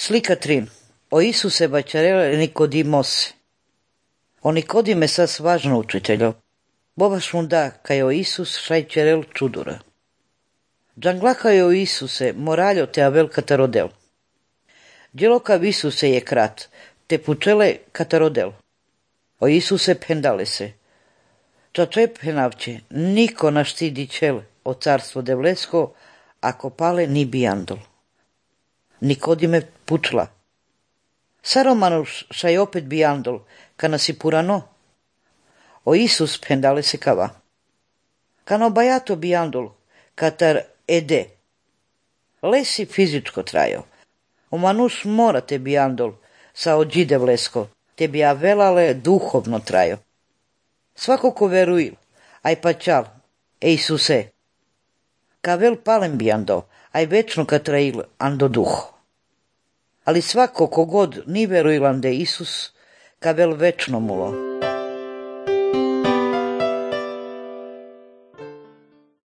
Slika 3. O Isuse bačarele Nikodimose. O Nikodime sas važno učiteljo. Bobaš mu da, kaj o Isus šajčerel čudura. Džanglaha o Isuse moraljo te avel katarodel. Djelokav Isuse je krat, te pučele katarodel. O Isuse pendale se. Čače penavče, niko naštidi čel o carstvo devlesko, ako pale ni bijandol. Nikodime pučla. Saromanuš šaj opet bijandol, kana si purano. O Isus pendale se kava. Kano bajato bijandol, katar ede. Lesi fizičko trajo. O manuš morate bijandol, sa ođi devlesko, te bi avelale duhovno trajo. Svako ko veruil, aj pačal, Isuse. Kavel palem bijando, aj večno katrail ando duho. Ali svako kogod ni veruilan de Isus, kavel večno mulo.